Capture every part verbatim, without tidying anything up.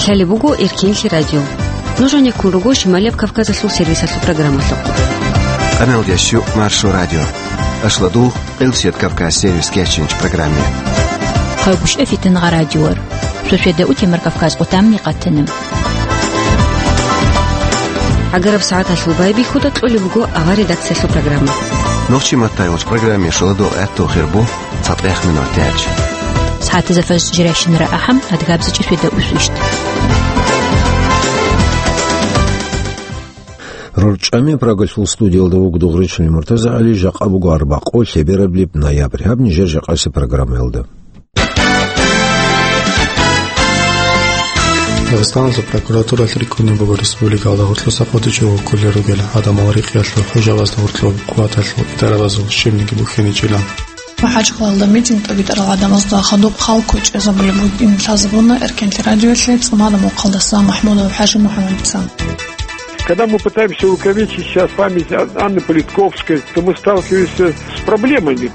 Лъалеб буго Эркенлъи радио. Нуж гӀенеккун руго Шималияб Кавказалъул сервисалъул программалъухъ. Къамел дящу Маршо радио. Ашладул, Къилсият Кавказ сервис кечинч программе. Хъайгъуш эфитан гъа радиор. Сосведа утемар Кавказ къутамни къатана. Агараб сагӀаталъул байбихьуда кьолеб буго авар редакциялъул программа. Нохчи маттайвач программе шуладо гӀатту хирбу. ЦатӀех минут тяч. СагӀатазда фарз жирайщинара ахӀам, адгабзичӀи светда усвищт. РорчӀами Прагалъул студиялда вуго Дугъричил МуртазагӀали, жакъа буго арбакъо лъебераблеб ноябрь. Гьаб нижер жакъаси программаялда. Дагъистаналъул прокуратуралъ рикӀкӀунеб буго республикалда гъоркьоса къотӀичӀого кколел ругел гӀадамал рикъиялъул хӀужабазда гъоркьоб къуваталъул идарабазул щибниги бухьиничӀилан. МахӀачкъалалда митинг тӀибитӀарал гӀадамазда хадуб хал ккучӀезабулеб бугин лъазабуна Эркенлъи радиоялъе цӀумадаб мухъалдаса МахӀмудов ХӀажимухӀаммадица. Когда мы пытаемся увековечить сейчас память Ан-, Анны Политковской, то мы сталкиваемся с проблемами.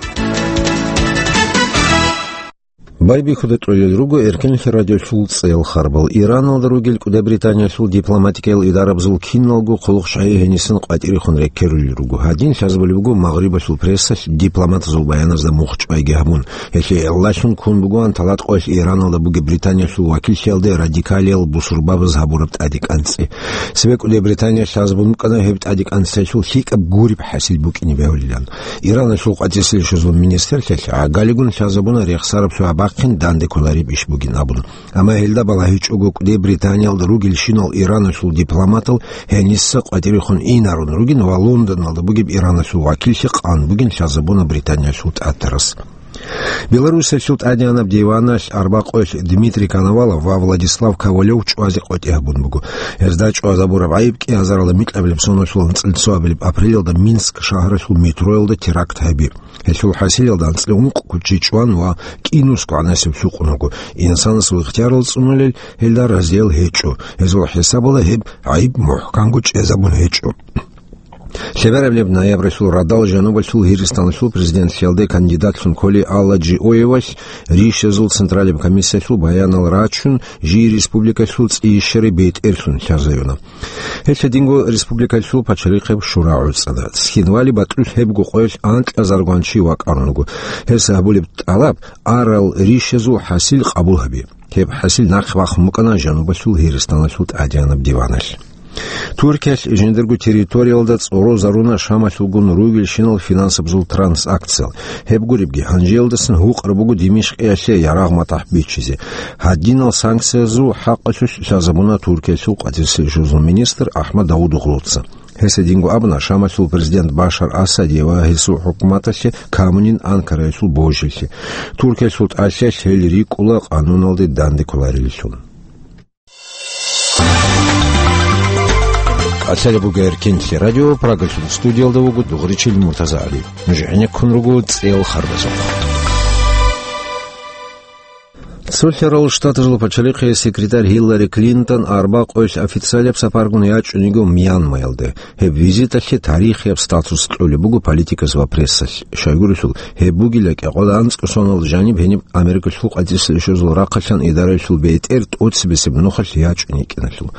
Байбихьуда кьолел руго Эркенлъи радиолъул цӀел харбал. Ираналда ругел КӀуде Британиялъул дипломатикиял идарабазул киналго хъулухъчагӀи гьенисан къватӀирехун рекерулел руго. Гьадин лъазабулеб буго Магърибалъул прессалъ дипломатазул баяназда мухчӀвайги гьабун. Гьелъие гӀиллалъун ккун бугоан талатӀкъоялъ Ираналда бугеб Британиялъул вакиллъиялде радикалиял бусурбабаз гьабураб тӀаде кӀанцӀи. Цебе КӀуде Британиялъ лъазабун букӀана гьеб тӀаде кӀанцӀиялъул лъикӀаб гуреб хӀасил букӀине бегьулилан. Иранасул къватӀире лъугьунел министрлъиялъ гӀагалигун лъазабуна рехсараб сугьа бахъин данде кколареб иш бугин абун. Амма гьелда балагьичӀого КӀуде Британиялда ругелщинал Иранасул дипломатал гьениса къватӀирехун инарун ругин ва Лондоналда бугеб Иранасул вакиллъи къан бугин лъазабуна Британиялъул тӀатарас. Белоруссиялъул тӀадегӀанаб диваналъ арбакъоялъ Дмитрий Коновалов ва Владислав Ковалев чӀвазе къотӀи гьабун буго. Гьезда чӀвазабураб гӀайиб кӀиазаралда микьабилеб соналъул анцӀила цоабилеб апрелалда Минск шагьаралъул метроялда теракт гьаби. Гьелъул хӀасилалда анцӀила ункъго чи чӀван ва кӀинусго гӀанасеб лъукъун вуго. Инсанасул ихтиярал цӀунулел гьелда разиял гьечӀо. Гьезул хӀисабалда гьеб гӀайиб мухӀканго чӀезабун гьечӀо. Лъебераблеб ноябралъул радал жанубалъул Гьиристаналъул президентлъиялде кандидатлъун кколи Алла Джиоевалъ ришазул Централаб комиссиялъул баянал рачун, жий республикалъул цӀийищари бетӀерлъун лъазаюна. Гьелъ гьединго республикалъул пачалихъеб шура гӀуцӀана. Цхинвали батӀулъ гьебго къоялъ анкьазаргван чи вакӀарун руго. Гьес гьабулеб тӀалаб арал ришазул хӀасил къабул гьаби. Гьеб хӀасил нахъ бахун букӀана жанубалъул Гьиристаналъул тӀадегӀанаб диваналъ. Туркиялъ жиндирго территориялда цӀорозаруна Шамалъулгун ругелщинал финансабазул трансакциял. Гьеб гуребги, гьанжеялдасан гьукъараб буго Димишкъиялъе ярагъ-матахӀ бичизе. Гьадинал санкциязул хӀакъалъулъ лъазабуна Туркиялъул къватӀире лъугьунел министр Ахмад Давудоглуца. Гьес гьединго абуна Шамалъул президент Башар Асаде ва гьесул хӀукуматалъе камунин Анкараялъул божилъи. Туркиялъул тӀалъиялъ гьел рикӀкӀуна къануналде данде кколареллъун. КӀалъалеб буго Эркенлъи радио, Прагалъул студиялда вуго Дугъричил МуртазагӀали. Нуж гӀенеккун руго цӀел харбазухъ. Цолъарал Штатазул пачалихъе секретарь Гьиллари Клинтон арбакъоялъ официалияб сапаргун ячӀун йиго Мьянмаялде. Гьеб визиталъе тарихияб статус кьолеб буго политикас ва прессалъ. Щайгурелъул, гьеб бугила кӀикъоялда анцӀго соналда жаниб гьениб Америкалъул къватӀире лъугьунел рахъалъан идараялъул бетӀер тӀоцебесеб нухалъ ячӀун йикӀиналъул.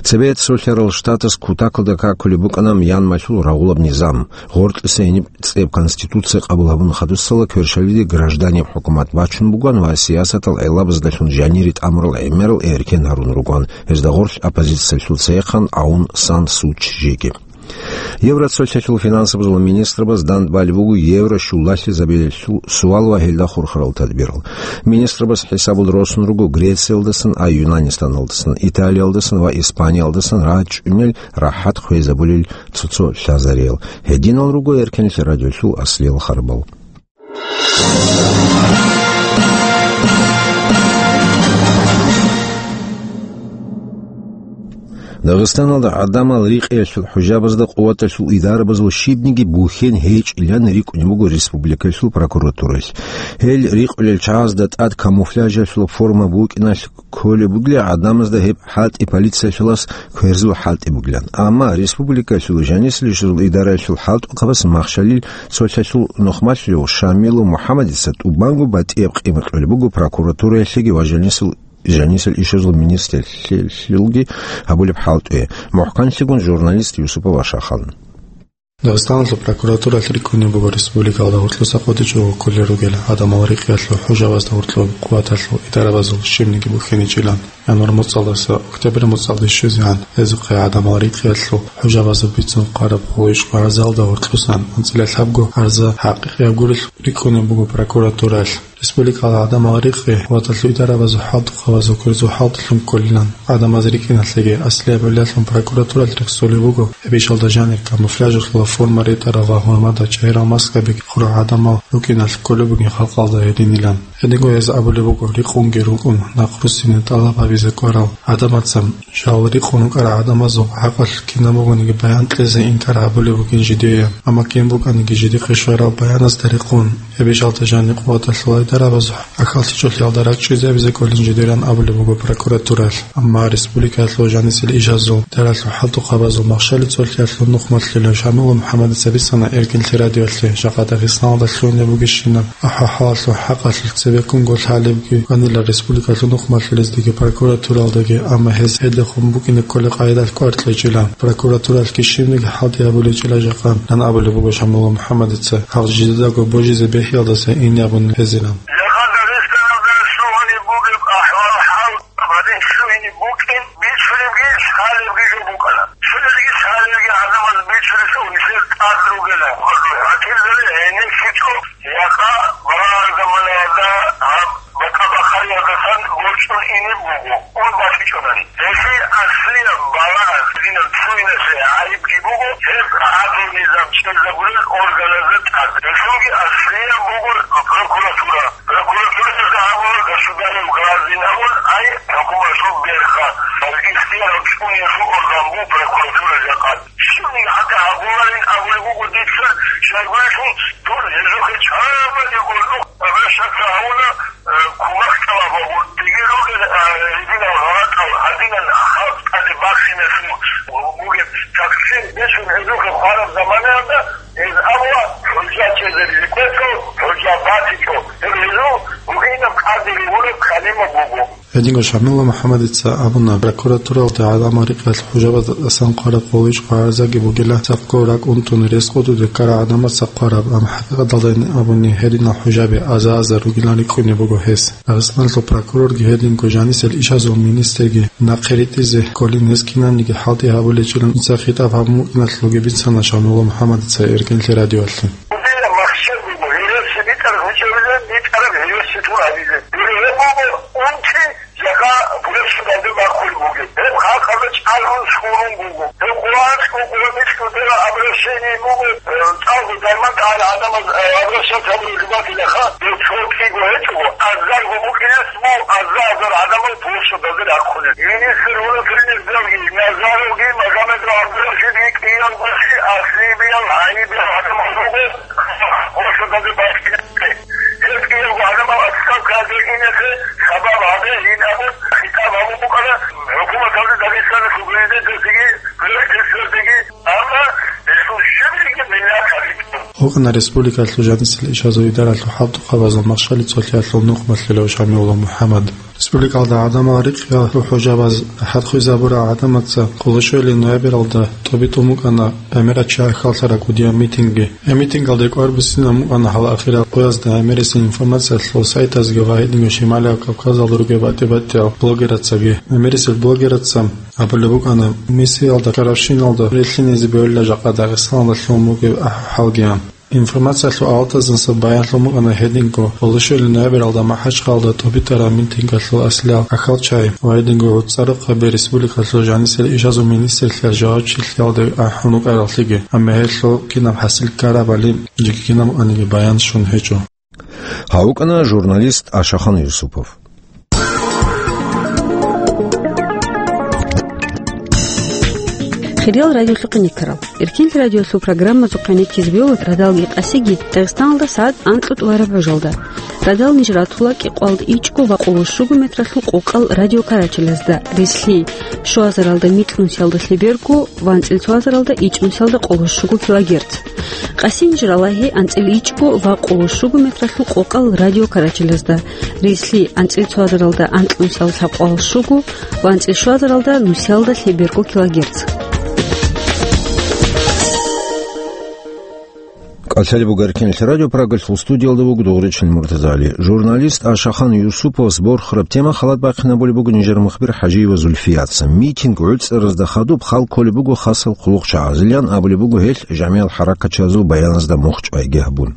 Цебе Цолъарал Штатас кутакалда какулеб букӀана Мьянмалъул рагъулаб низам. Гъоркьиса гьениб цӀеб конституция къабул гьабун хадусала кверщалиде гражданиб хӀукумат бачун бугоан ва сиясатал гӀелабаздалъун жанире тӀамурал гӀемерал эркен гьарун ругоан, гьезда гъорлъ оппозициялъул цехъан Аун Сан Су Чжиги. Евроцолъалъул финансабазул министрабаз дандбалеб буго евро щулалъизабилелъул суал ва гьелда хурхарал тадбирал. Министрабаз хӀисабал росун руго Грециялдасан, а Юнанистаналдасан, Италиялдасан ва Испаниялдасан рачӀунел рахӀат хвезабулел цо-цо лъазариял. Гьединал руго Эркенлъи радиолъул аслиял харбал. Дагъистаналда гӀадамал рикъиялъул хӀужабазда къуваталъул идарабазул щибниги бухьен гьечӀилан рикӀкӀунеб буго республикалъул прокуратуралъ. Гьел рикъулел чагӀазда тӀад камуфляжалъул форма букӀиналъ кколеб бугила гӀадамазда гьеб хӀалтӀи полициялъулас кверзул хӀалтӀи бугилан. Амма республикалъул жанисалъул идараялъул хӀалтӀухъабаз Махщалил цолъалъул нухмалъулев Шамилу МухӀаммадица тӀубанго батӀияб къимат кьолеб буго прокуратураялъеги ва жанисул жанисел ишазул министрлъилги гьабулеб хӀалтӀи, мухӀканлъигун журналист Юсупов Ашахъан. Дагъистаналъул прокуратуралъ рикӀкӀунеб буго республикалда гьоркьоса къотӀичӀого кколел ругел гӀадамал рикъиялъул хӀужабазда гьоркьоб къуваталъул идарабазул щибниги бухьиничӀилан. Январь моцӀалдаса октябрь моцӀалде щвезегӀан гьезухъе гӀадамал рикъиялъул хӀужабазул бицун хъвараб гъолъ-ишкъо гӀарзалда гьоркьосан анцӀила лъабго гӀарза хӀакъикъияб гурелъ рикӀкӀунеб буго прокуратуралъ. Республикалда гӀадамал рикъи къуваталъул идарабазул хӀалтӀухъабазул кверзул хӀалтӀилъун кколилан. ГӀадамаз рикӀкӀиналъеги аслияб гӀиллалъун прокуратуралъ рехсолеб буго, гьеб ишалда жанир камуфляжалъула форма ретӀарал ва гьурмада чагӀирал маскаби хурал гӀадамал рукӀиналъ кколеб бугин халкъалда гьединилан. Гьединго гьез абулеб буго, рикъунги рукӀун, нахъруссине тӀалаб гьабизе ккарал гӀадамаца жал рикъун рукӀарал гӀадамазул хӀакъалъулъ кинаб бугониги баян кьезе инкар гьабулеб бугин жидее, амма кин букӀаниги жидехъе щвараб баяназда рекъон, гьеб ишалда жанир къуваталъул идарабазул ахӀаллъичӀолъиялда ракӀчӀезабизе кколин жидеран абулеб буго прокуратуралъ. Амма республикаялъул жанисел ишазул, идаралъул хӀалтӀухъабазул махщали цолъиялъул нухмалъулев Шамилов МухӀаммадица бицана Эркинлъи радиоялъе, жакъа Дагъистаналда лъугьунеб бугебщинаб ахӀвал-хӀалалъул хӀакъалъулъ цебеккунго лъалебги ванила республикалъул нухмалъулездеги прокуратуралдаги, амма гьез гьелдехун букӀине кколеб къайдалъ кӀвар кьечӀила. Прокуратуралъги щибниги хӀалтӀи гьабулечӀила жакъа, ян абулеб буго Шамилов МухӀаммадица, гьал жидедаго божизе бегьиялдаса ине абун гьезилан. Жакъа Дагъистаналда лъугьунеб бугеб ахӀвал-хӀал гьадин лъугьине букӀин, бичӀчӀулебги лъалебги жо букӀана. Цониги лъалебги гӀадамаз бичӀчӀулелъул нилъер тӀад ругела, гьатирзаби гьениб лъучӀо, жакъа балагьараб заманаялда гьаб бакӀа-бахъариялдасан борчӀун ине буго, ун бахъичӀонани. Гьелъие аслияб балагьаз динаб цониялъе гӀайибги буго гьеб гӀадлу-низам чӀезабулел органазда тӀад. Гьелъулги аслияб буго прокуратура. Прокуратураялда абуна государев гражданин абун, ай, хӀукуматалъул берха, ихтияр чӀунеялъул орган буго прокуратура жакъа. Щибниги гьатӀи гьабуларин абулеб буго дица, щайгурелъул дур гьезухъе чӀвазе гуро, обращаться гьавуна, э, кумек тӀалаб гьабун, дигир ругел, э, гьединал гъалатӀал, гьадинан халкъалде бахиналъун бугеб таксир бицун гьезухъе хвараб заманаялда, гьез абула, хӀужа чӀезаризе кколъул, хӀужа батичӀо, гьеб гьезул гьуинаб къадире гуреб калима буго. Гьединго Шамилов МухӀаммадица абуна, прокуратуралда гӀадамал рикъиялъул хӀужабаздасан хъвараб гъолъ-ишкъо гӀарзаги бугила, цадахъ ракӀ унтун рес къотӀизе ккарал гӀадамаца хъвараб, амма хӀакъикъаталда абуни гьединал хӀужаби аза-азар ругилан рикӀкӀунеб буго гьес. Дагъистаналъул прокурорги гьединго жанисел ишазул министрги нахъе ритӀизе кколин гьез кинабниги хӀалтӀи гьабулечӀилан дица хитӀаб гьабун букӀиналъулги бицана Шамилов МухӀаммадица Эркинлъи радиоялъе. Махщел буго, гьереси битӀараб гьечӀебилан битӀараб гьереси тун гьабизе. Гьеб буго унти жакъа гуреб судалде бахъулеб бугеб. Гьеб халкъалда чӀаргӀун, сурун буго. Гьеб Къуръан, Къуръан микьудера обращение буго, э, цӀалго дайман тӀагӀел гӀадамаз, э, обращаться гьабулеб жубатилаха, гьеб цо кӀиго гьечӀого, азарго букӀинес буго, азар-азар гӀадамал гуреб судалде рахъулел. Министр внутренних делги Назаровги, Магомедов ГӀабдурашидги кӀиялгоги аслияб, гӀайибиял гӀадамал руго. Гьеб кӀиялго гӀадамал отставкаялде инехъе сабаб гьабе гьин абун хитӀаб гьабун букӀана хӀукуматалда, Дагъистаналъул президенталдеги, правительствалдеги, амма гьесул щибниги миннат гьабичӀо. Гьукъана республикалъул жанисел ишазул идаралъул хӀалтӀухъабазул махщали цолъиялъул нухмалъулев Шамилов МухӀаммад. Республикалда гӀадамал рикъиялъул хӀужабаз хӀалтӀизабурал гӀадамаца къоло щуялъул ноябралда тӀубитӀун букӀана гӀемерал чи хьвадулареб кӀудияб митинги. Гьеб митингалде кӀвар буссинабун букӀана гьал ахирал къоязда гӀемерисел информациялъул сайтазги ва гьединго Шималияб Кавказалда ругел батӀи-батӀиял блогерацаги. ГӀемерисел блогераца абулеб букӀана, Мисриялда кӀаравщиналда релълъине бегьулила жакъа Дагъистаналда лъугьун бугеб ахӀвал-хӀалги. Информациялъул авалаздаса баянлъун букӀана гьединго къоло щуялъул ноябралда МахӀачхъалада тӀубитӀараб митингалъул аслиял ахӀвал-чагӀи ва гьединго гӀуцӀарухъаби республикалъул жанисел ишазул министрлъиялъ жавабчилъиялде ахӀун букӀараллъиги, амма гьелъул кинаб хӀасил ккарабали жеги кинаб букӀаниги баян щун гьечӀо. Гьав вукӀана журналист Ашахан Юсупов. Хириял радиолъухъ гӀенеккарал, Эркин радиолъул программазухъ гӀенеккизе бегьула радалги къасиги Дагъистаналда сагӀат анкьго тӀубараб гӀужалда. Радал ниж ратула кӀикъвалда ичӀго ва къоло щуго метралъул къокъал радиокарачелазда, рилълъи щуазаралда микьнусиялда лъеберго ва анцӀил цоазаралда ичӀнусиялда къоло щуго килогерц. Къаси ниж ралагьи анцӀил ичӀго ва къоло щуго метралъул къокъал радиокарачелазда, рилълъи анцӀил цоазаралда анкьнусиялда лъабкъоялда щуго ва анцӀил щуазаралда нусиялда лъеберго килогерц. КӀалъалеб буго Эркенлъи радио, Прагалъул студиялда вуго Дугъричин Муртазали. Журналист Ашахан Юсуповас борхараб тема халат бахъинабулеб буго нижер мухбир ХӀажиева Зульфияца. Митинг гӀуцӀаразда хадуб хал кколеб буго хасал хъулухъчагӀазилан абулеб буго гьелъ жамигӀал хӀаракатчиязул баяназда мухь чӀвайги гьабун.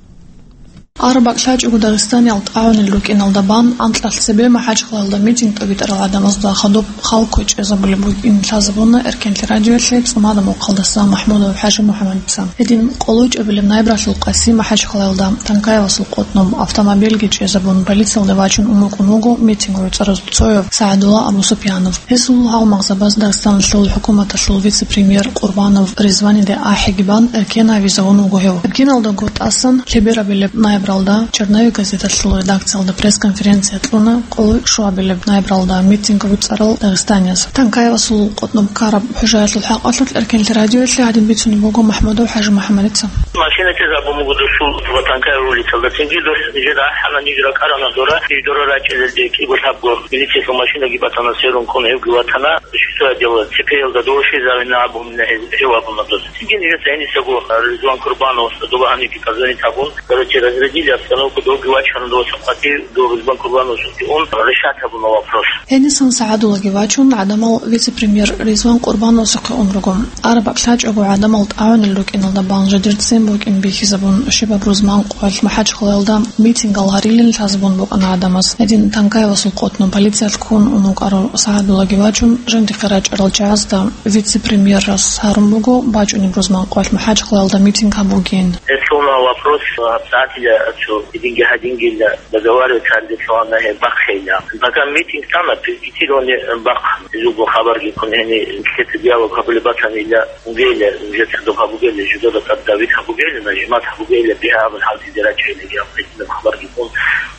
Араб бакӀ лъачӀого Дагъистаниялда тӀагӀунел рукӀиналда бан анкьалъ цебе МахӀачхъалаялда митинг тӀобитӀарал гӀадамазда хадуб хал ккой чӀезабулеб букӀин лъазабуна Эркенлъи радиоялъе цӀумада мухъалдаса МахӀмудов ХӀажимухӀаммадица. Гьедин къоло чӀебилеб ноябралъул къаси МахӀачхъалаялда Танкаевасул къотӀноб автомобильги чӀезабун, полициялде вачун унукъун вуго митинг гӀуцӀараз цояв СагӀадулла Абусупьянов. Гьесул гьалмагъзабаз Дагъистаналъул хӀукуматалъул вице-премьер Къурбанов Ризваниде ахӀиги бан, эркен гьавизавун вуго гьев. Эркеналдаго тӀасан лъеберабилеб ноябралда «Черновик» газеталъул редакциялда пресс-конференция кьуна къоло щуабилеб ноябралда митинг гӀуцӀарал дагъистанияз. Танкаевасул къотӀноб ккараб хӀужаялъул хӀакъалъулъ Эркенлъи радиоялъе гьадин бицунеб буго МахӀмудов ХӀажимухӀаммадица. Машина чӀезабун буго досул ва Танкаев улицалда. Цинги дос нижеда ахӀана, ниж ракӀарана дора, ниж дора рачӀинелде кӀиго-лъабго милициялъул машинаги батана, сверун ккун гьевги ватана. Щуса дело, ЦП-ялда дошизавина абун гьев абуна дос. Цинги нижеца гьенисаго Ризван Курбановасда доба гьаниги позвонить гьабун, короче, разрядили обстановку, довги вачана дос къватӀив, до Ризван Курбановасухъе ун решать гьабуна вопрос. Гьенисан СагӀадуллаги вачун, гӀадамал вице-премьер Ризван Къурбановасухъе ун руго. Араб бакӀ лъачӀого гӀадамал тӀагӀунел рукӀиналда бан жидер ццин букӀин бихьизабун, щибаб рузман къоялъ МахӀачхъалаялда митингал гьарилин лъазабун букӀана гӀадамаз. Гьедин Танкаевасул къотӀноб полициялъ ккун ун вукӀарав СагӀадуллаги вачун, жиндихъе рачӀарал чагӀазда вице-премьерас гьарун буго бачӀунеб рузман къоялъ МахӀачхъалаялда митинг гьабугин. Гьелъуна вопрос, гьабсагӀатила цо гьединги гьадингила договариваться гьарде лъугьана гьеб бахъейилан. Пока митинг тана, пикетирование бахъ, гьезулго хабарги ккун гьениб, нилъеца диалог гьабулеб батанила, бугейила, уже цадахъ гьабугейила, жидеда тӀад давить гьабугейила, нажимат гьабугейила, бигьа абун хӀалтӀизе рачӀейилан, гьаб гьединаб хабарги ккун,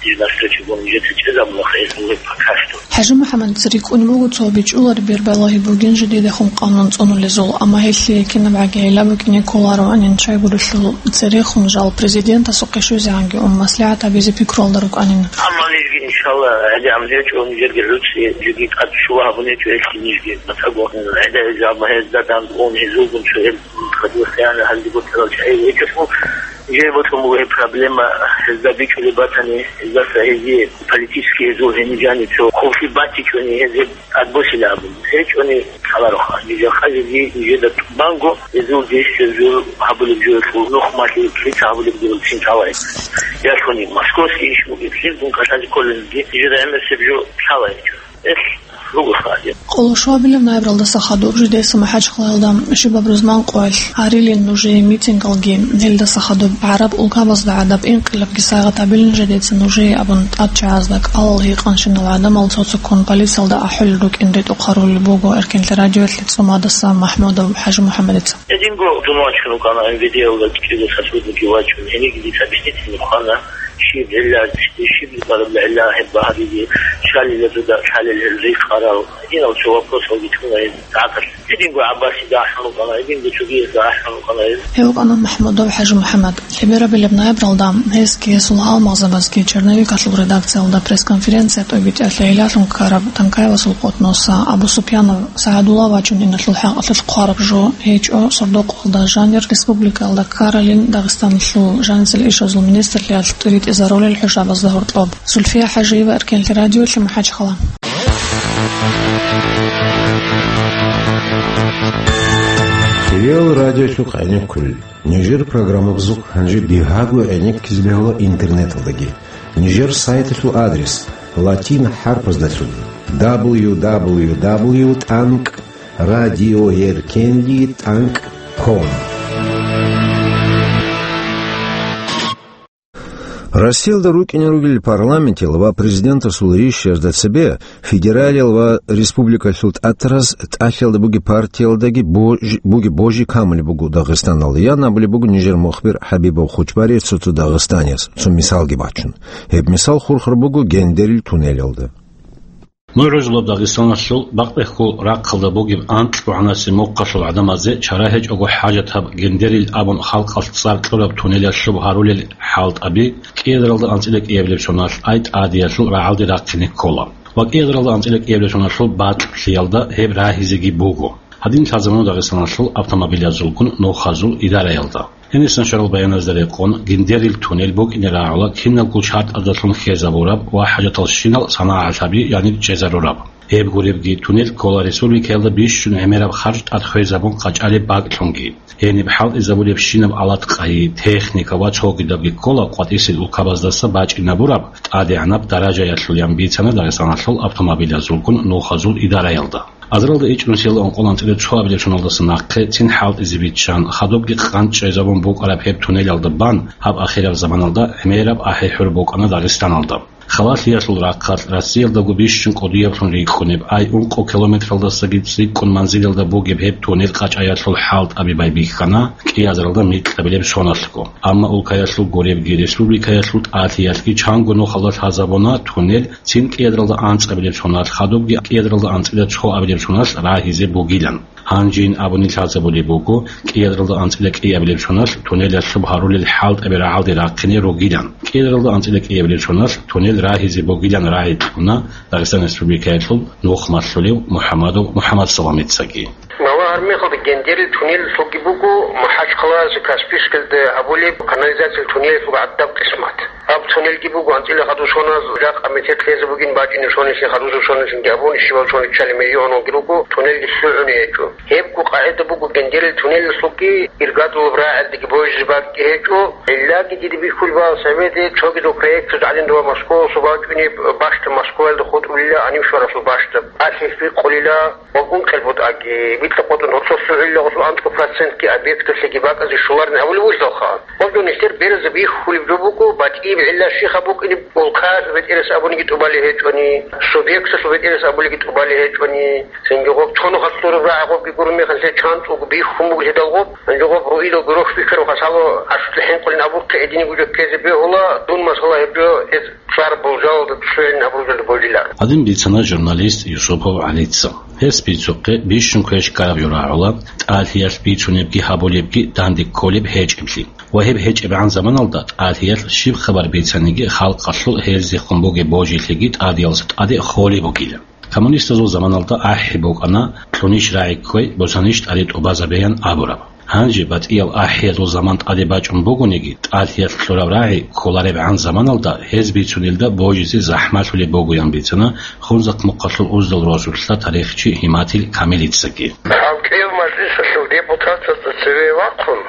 дир навстречу гун нижеца чӀезабуна, хайр бугеб пока что. ХӀажимухӀаммадица рикӀкӀунеб буго цо бичӀчӀулареб бербалагьи бугин жидедехун къанун цӀунулезул, амма гьелъие кинабгӀаги гӀилла букӀине кколароанин, щайгурелъул церехун жал президентасухъе щвезегӀанги ун маслигӀат гьабизе пикруялда рукӀанин. Амма нижги, иншалла, гӀадамал гьечӀо, нижерги гӀуцӀи, жеги тӀад щула гьабун гьечӀо гьелъи нижги. Мацаго гӀадамал гьезда дандун гьезулгун цо гьел хадур хиянат гьалги бутарал чагӀи гьечӀелъул, жер бокьун буго гьеб проблема, гьезда бичӀчӀулеб батани, гьездаса гьезие политический гьезул гьениб жаниб цо хъулухъ батичӀони гьез гьеб тӀадбосила абун. ГьечӀони лъалароха, нижер хъазеги нижеда тӀубанго гьезул действие жур гьабулеб жо гьелъул нухмалъи лъица гьабулеб жо гьелцин лъала гьечӀо. Ялъуни московский иш бугеблъи дун кӀалъазе кколелги нижеда гӀемерисеб жо лъала гьечӀо. Гьелъ ругоха гьадин. Къоло щуабилеб ноябралдаса хадуб жидеца МахӀачхъалаялда щибаб рузман къоялъ гьарилин нужее митингалги, гьелдаса хадуб гӀараб улкабазда гӀадаб инкъилабги сайгъат гьабилин жидеца нужее абун тӀад чагӀазда кӀалал гьикъанщинал гӀадамал цо-цоккун полициялда ахӀулел рукӀин ретӀухъ гьарулеб буго Эркенлъи радиоялъе цӀумадаса МахӀмудов ХӀажимухӀаммадица. Гьединго дун вачун вукӀана, МВД-ялда кӀиго сотрудникги вачун, гьениги дица объяснительный хъвана, щиб гӀилла, щиб гьеб багьаризе, щалила дуда лъалел гьел рихарал. Гьединал цо вопросалги кьуна гьез гӀакъалъ. Гьединго ГӀаббасида ахӀун вукӀана, гьединго цогиязда ахӀун вукӀана гьез. Гьев вукӀана МахӀмудов ХӀажимухӀаммад. Лъеберабилеб ноябралда гьесги гьесул гьалмагъзабазги «Черновикалъул» редакциялда пресс-конференция тӀобитӀиялъе гӀиллалъун ккараб Танкаевасул къотӀноса Абусупьянов СагӀадулла вачун иналъул хӀакъалъулъ хъвараб жо гьечӀо сордо-къоялда жанир республикаялда ккаралин Дагъистаналъул жаницал ишазул министрлъиялъ тӀибитӀизарулел хӀужабазда гьоркьоб. Зульфия ХӀажиева, Эркенлъи радиолъи, МахӀачхъала. Риал радиолъухъ гӀенеккулел. Нижер программабазухъ гьанже бигьаго гӀенеккизе бегьула интернеталдаги. Нижер сайталъул адрес латин хӀарпаздалъун: дабл ю дабл ю дабл ю тӀанкӀ радиоэркенлъи тӀанкӀ ком. Россиялда рукӀине ругел парламентил ва президентасул ришшазда цебе федералиял ва республикалъул тӀатараз тӀалъиялда бугеб партиялдаги божи, бугеб божи камулеб буго Дагъистаналда, ян абулеб буго нижер мухбир ХӀабибов Хучбари цо-цо дагъистанияс, цо мисалги бачун. Гьеб мисал хурхар буго Гендерил туннелалда. НугӀрузулаб Дагъистаналъул бакъбихьул рахъалда бугеб анкьгогӀанасеб мухъалъул гӀадамазе чара гьечӀого хӀажатаб Гендерил абун халкъалъ цӀар кьураб туннелалъуб гьарулел хӀалтӀаби кӀиазаралда анцӀила кӀиабилеб соналъ ай тӀадиялъул рагӀалде рахъине ккола ва кӀиазаралда анцӀила кӀиабилеб соналъул бакьлъиялда гьеб рагьизеги буго. Гьадин лъазабуна Дагъистаналъул автомобилазулгун нухазул идараялда. Гьенисан щварал баяназда рекъон, Гендерил туннел букӀине рагӀула киналго шартӀаздалъун хьезабураб ва хӀажаталщинал санагӀалъаби, яни чӀезарураб. Гьеб гуребги, туннел ккола республикаялда бищун гӀемераб харж тӀад хвезабун къачӀалеб бакӀлъунги. Гьениб хӀалтӀизабулебщинаб алат-къайи, техника ва цогидабги ккола къватӀисел улкабаздаса бачӀинабураб тӀадегӀанаб даражаялъул, ян бицана Дагъистаналъул автомобилазулгун нухазул идараялда. Азаралда ичӀнусиялда ункъоялда анцӀила цоабилеб соналдаса нахъе цин хӀалтӀизе биччан, хадубги къанчӀайзабун букӀараб гьеб туннелалда бан, гьаб ахираб заманалда гӀемераб ахӀи-хӀур букӀана Дагъистаналда. Халалъиялъул рахъалъ Россиялдаго бищун кӀудияблъун рикӀкӀунеб ай ункъо километралдасаги цӀикӀкӀун манзилалда бугеб гьеб туннел къачӀаялъул хӀалтӀаби байбихьана кӀиазаралда микьабилеб соналъго. Амма улкаялъул гуребги, республикаялъул тӀалъиялъги чанго нухалда лъазабуна туннел цин кӀиазаралда анцӀабилеб соналъ, хадубги кӀиазаралда анцӀила цоабилеб соналъ рагьизе бугилан. Гьанжин абуни лъазабулеб буго, кӀиазаралда анцӀила кӀиабилеб соналъ туннелалъуб гьарулел хӀалтӀаби рагӀалде рахъине ругилан. КӀиазаралда анцӀила кӀиабилеб соналъ туннел рагьизе бугилан рагӀи кьуна Дагъистан Республикаялъул нухмалъулев МухӀамадов МухӀамадсаламицаги. Нава гьармехалда Гендерил туннел лъуги буго МахӀачхъалаялъе Каспийскалде гьабулеб канализациялъул туннелалъул гӀадаб къисмат. Гьаб туннелги буго анцӀила хадусоназ жакъа метер лъезе бугин бачӀине сонилъи, хадусеб сонилъинги абун, щибаб сониччали миллионалги руго, туннелги лъугӀуни гьечӀо. Гьебго къагӀида буго Гендерил туннелалъулги иргадулаб рагӀалдеги божизе бакӀги гьечӀо. Гьеллаги дида бихьулеб буго Советалъе цогидал проектаз гӀадин дова Москвалъул бачӀунеб бащдаб, Москваялда хутӀулила гьанив щваралъул бащдаб. Алъ гьеб бикъулила. Ва ункъел бутӀаги, битӀа къотӀун гьорцо лъугӀила гъосул анцӀго процентги объекталъеги бакӀазе щоларин абулеб бугелъулха. Гъоб жо нилъер беразда бихьулеб жо буго, батӀияб гӀилла щиб букӀине, улкаялъул бетӀерас абулебги тӀубалеб гьечӀони, субъекталъул бетӀерас абулебги тӀубалеб гьечӀони, цинги гъоб цо нухалъ лъураб рагӀи гъобги гурони мехалъ чан цӀуг бихьун бугелъидал гъоб, гьанже гъоб руидал гурони бихьараб хасало гӀашутлъи хӀинкъулин абухъе гьединго жо ккезе бегьула, дун масала гьеб жо гьез цӀар болжалалда цӀугӀин абуралда болила. Гьадин бицана журналист Юсупов ГӀалица. Гьес бицухъе бищун квеш ккараб жо рагӀула, тӀалъиялъ бицунебги гьабулебги данде кколеб гьечӀеблъи. Ва гьеб гьечӀебгӀан заманалда тӀалъиялъ щиб хабар бицаниги халкъалъул гьезехун бугеб божилъиги тӀадиялдаса тӀаде холеб бугила. Коммунистазул заманалда ахӀи букӀана, кьунищ рагӀи кквей, босанищ тӀаде тӀубазабеян абураб. Гьанже батӀиял ахӀиялъул заман тӀаде бачӀун бугониги, тӀалъиялъ кьураб рагӀи кколаребгӀан заманалда гьез бицунелда божизе захӀмалъулеб бугоян бицана Хунзахъмухъалъул уздал росулъа тарихчи Гьиматил Камилицаги. Гьав кӀияб мажлисалъул депутатазда цеве вахъун,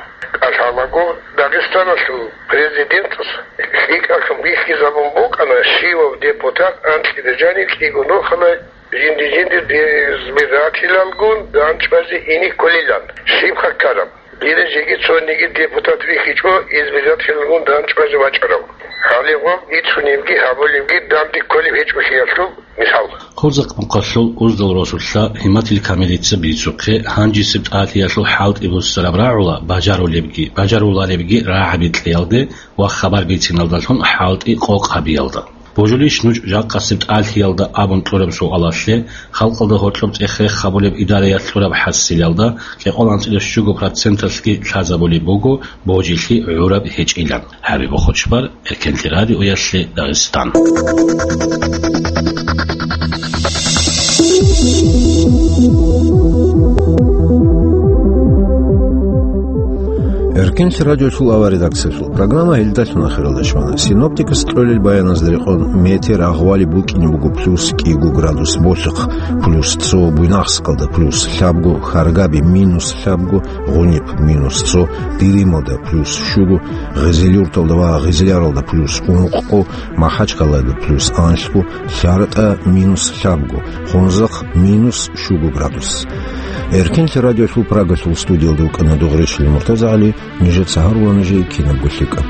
кӀалъалаго Дагъистаналъул президентас лъикӀалъун бихьизабун букӀана, щивав депутат анкьида жанив кӀиго нухалъ жинди-жиндир избирателалгун дандчӀвазе ине кколилан. Щибха ккараб? Дир жеги цониги депутат вихьичӀо избирателалгун дандчӀвазе вачӀарав. Гьале гъоб бицунебги гьабулебги данде кколеб гьечӀолъиялъул мисал. Хунзахъмухъалъул уздал росулъа Гьиматил Камилица бицухъе, гьанжесеб тӀалъиялъул хӀалтӀи буссараб рагӀула бажарулебги, бажаруларебги рагӀаби кьеялде ва хабар бициналдалъун хӀалтӀи къокъ гьабиялда. Божулищ нуж жакъасеб тӀалъиялда абун кьураб суалалъе, халкъалда гьоркьоб цӀех-рех гьабулеб идараялъ кьураб хӀасилалда, кӀикъоялда анцӀила щуго проценталъги лъазабулеб буго божилъи гӀураб гьечӀилан. ХӀабиб Хучбар, Эркенлъи радиоялъе, Дагъистан. Эркенлъи радиолъул авар редакциялъул программа гьелдалъун ахиралде щвана. Синоптикас кьолел баяназда рекъон метеор агъвали букӀине буго плюс кӀиго градус Болъихъ, плюс цо Буйнакскалда, плюс лъабго Хьаргаби, минус лъабго Гъуниб, минус цо Дилималда, плюс щуго Гъизилюрталда ва Гъизляралда, плюс ункъго МахӀачхъалада, плюс анлъго ЛъартӀа, минус лъабго Хунзахъ, минус щуго градус. Эркенлъи радиолъул Прагалъул студиялда вукӀана Дугъришили МуртазагӀали. Нижеца гьарула нужее кинабго лъикӀаб.